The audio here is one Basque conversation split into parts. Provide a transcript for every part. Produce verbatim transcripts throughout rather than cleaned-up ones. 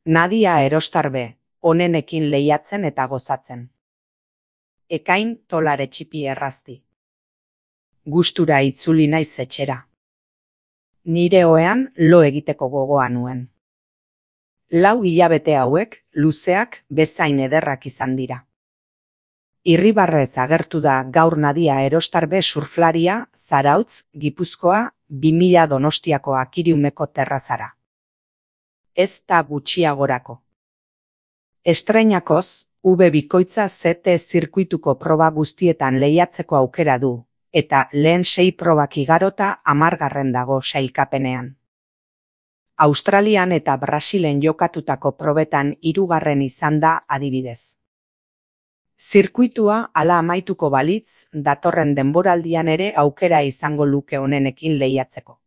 Nadia Erostarbe, onenekin lehiatzen eta gozatzen. Ekain tolare txipi errazti. Gustura itzuli naiz etxera. Nire ohean lo egiteko gogoa nuen. Lau hilabete hauek, luzeak, bezain ederrak izan dira. Irribarrez agertu da gaur Nadia Erostarbe surflaria, Zarautz, Gipuzkoa, bi mila Donostiako Akiriumeko terrazara. Ez da gutxiagorako. Estreinakoz, V bikoitza Z T zirkuituko proba guztietan lehiatzeko aukera du, eta lehen sei probak igarota hamargarren dago sailkapenean. Australian eta Brasilen jokatutako probetan hirugarren izan da adibidez. Zirkuitua hala amaituko balitz, datorren denboraldian ere aukera izango luke onenekin lehiatzeko.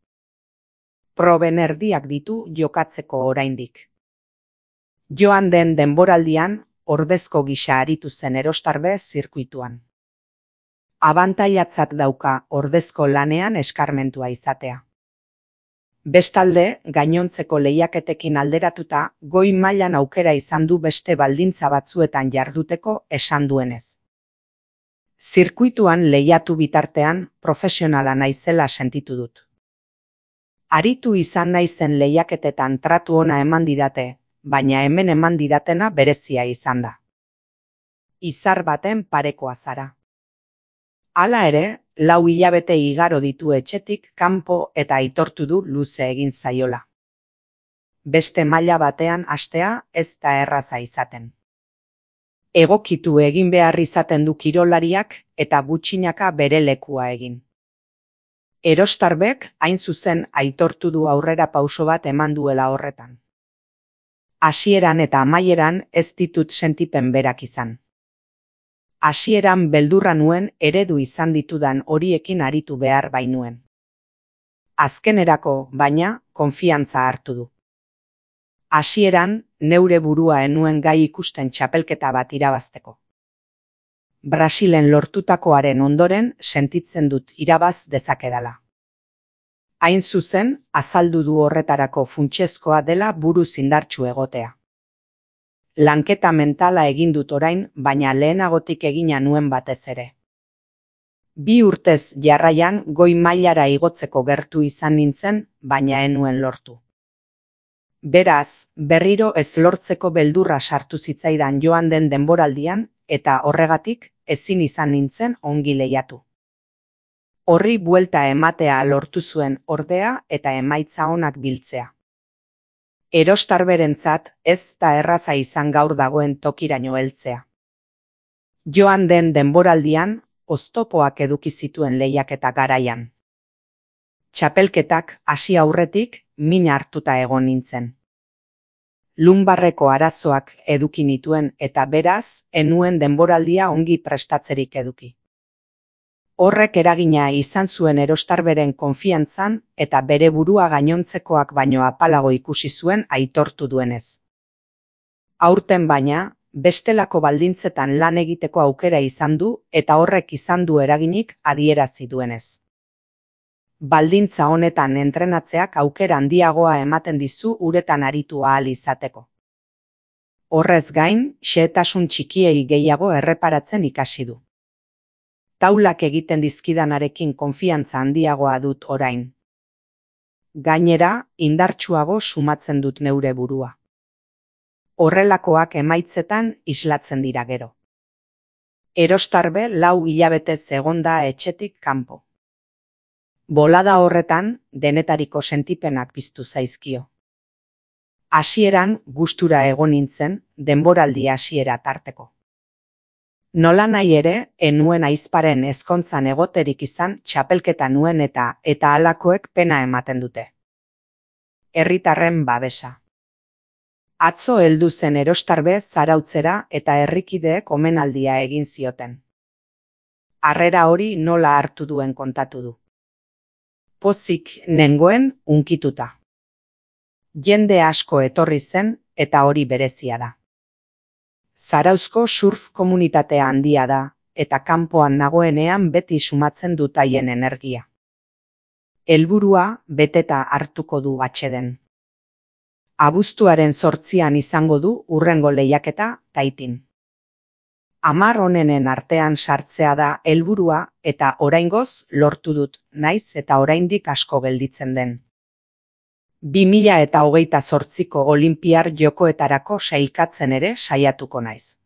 Proben erdiak ditu jokatzeko oraindik. Joan den denboraldian, ordezko gisa aritu zen Erostarbe zirkuituan. Abantailatzat dauka ordezko lanean eskarmentua izatea. Bestalde, gainontzeko lehiaketekin alderatuta, goi mailan aukera izan du beste baldintza batzuetan jarduteko esan duenez. Zirkuituan lehiatu bitartean, profesionala naizela sentitu dut. Aritu izan naizen lehiaketetan tratu ona eman didate, baina hemen eman didatena berezia izan da. Izar baten parekoa zara. Hala ere, lau hilabete igaro ditu etxetik kanpo eta aitortu du luze egin zaiola. Beste maila batean hastea ez da erraza izaten. Egokitu egin behar izaten du kirolariak eta gutxinaka bere lekua egin. Erostarbek hain zuzen aitortu du aurrera pauso bat eman duela horretan. Hasieran eta amaieran ez ditut sentipen berak izan. Hasieran beldurra nuen eredu izan ditudan horiekin aritu behar bainuen. Azkenerako, baina, konfiantza hartu du. Hasieran, neure burua enuen gai ikusten txapelketa bat irabazteko. Brasilen lortutakoaren ondoren sentitzen dut irabaz dezakedala. Hain zuzen, azaldu du horretarako funtsezkoa dela buruz indartsu egotea. Lanketa mentala egin dut orain, baina lehenagotik egina nuen batez ere. Bi urtez jarraian goi mailara igotzeko gertu izan nintzen, baina enuen lortu. Beraz, berriro ez lortzeko beldurra sartu zitzaidan joan den denboraldian, eta horregatik ezin izan nintzen ongi lehiatu. Horri buelta ematea lortu zuen ordea eta emaitza onak biltzea. Erostarberentzat ez da erraza izan gaur dagoen tokiraino heltzea. Joan den denboraldian, oztopoak eduki zituen lehiaketa garaian. Txapelketak hasi aurretik min hartuta egon nintzen. Lunbarreko arazoak eduki nituen eta beraz, enuen denboraldia ongi prestatzerik eduki. Horrek eragina izan zuen Erostarberen konfiantzan eta bere burua gainontzekoak baino apalago ikusi zuen aitortu duenez. Aurten baina, bestelako baldintzetan lan egiteko aukera izan du eta horrek izan du eraginik adierazi duenez. Baldintza honetan entrenatzeak aukera handiagoa ematen dizu uretan aritu ahal izateko. Horrez gain, xehetasun txikiei gehiago erreparatzen ikasi du. Taulak egiten dizkidanarekin konfiantza handiagoa dut orain. Gainera, indartsuago sumatzen dut neure burua. Horrelakoak emaitzetan islatzen dira gero. Erostarbe lau hilabetez egon da etxetik kanpo. Bolada horretan, denetariko sentipenak piztu zaizkio. Hasieran gustura egon nintzen, denboraldi hasiera tarteko. Nola nahi ere, enuen aizparen ezkontzan egoterik izan txapelketa nuen eta eta halakoek pena ematen dute. Herritarren babesa. Atzo heldu zen Erostarbe Zarautzera eta herrikideek omenaldia egin zioten. Harrera hori nola hartu duen kontatu du. Pozik nengoen unkituta. Jende asko etorri zen eta hori berezia da. Zarauzko surf komunitatea handia da, eta kanpoan nagoenean beti sumatzen dut haien energia. Helburua beteta hartuko du atseden. Abuztuaren zortzian izango du hurrengo lehiaketa Taitin. Hamar onenen artean sartzea da helburua eta oraingoz lortu dut, naiz eta oraindik asko gelditzen den. bi mila hogeita zortziko Olinpiar Jokoetarako sailkatzen ere saiatuko naiz.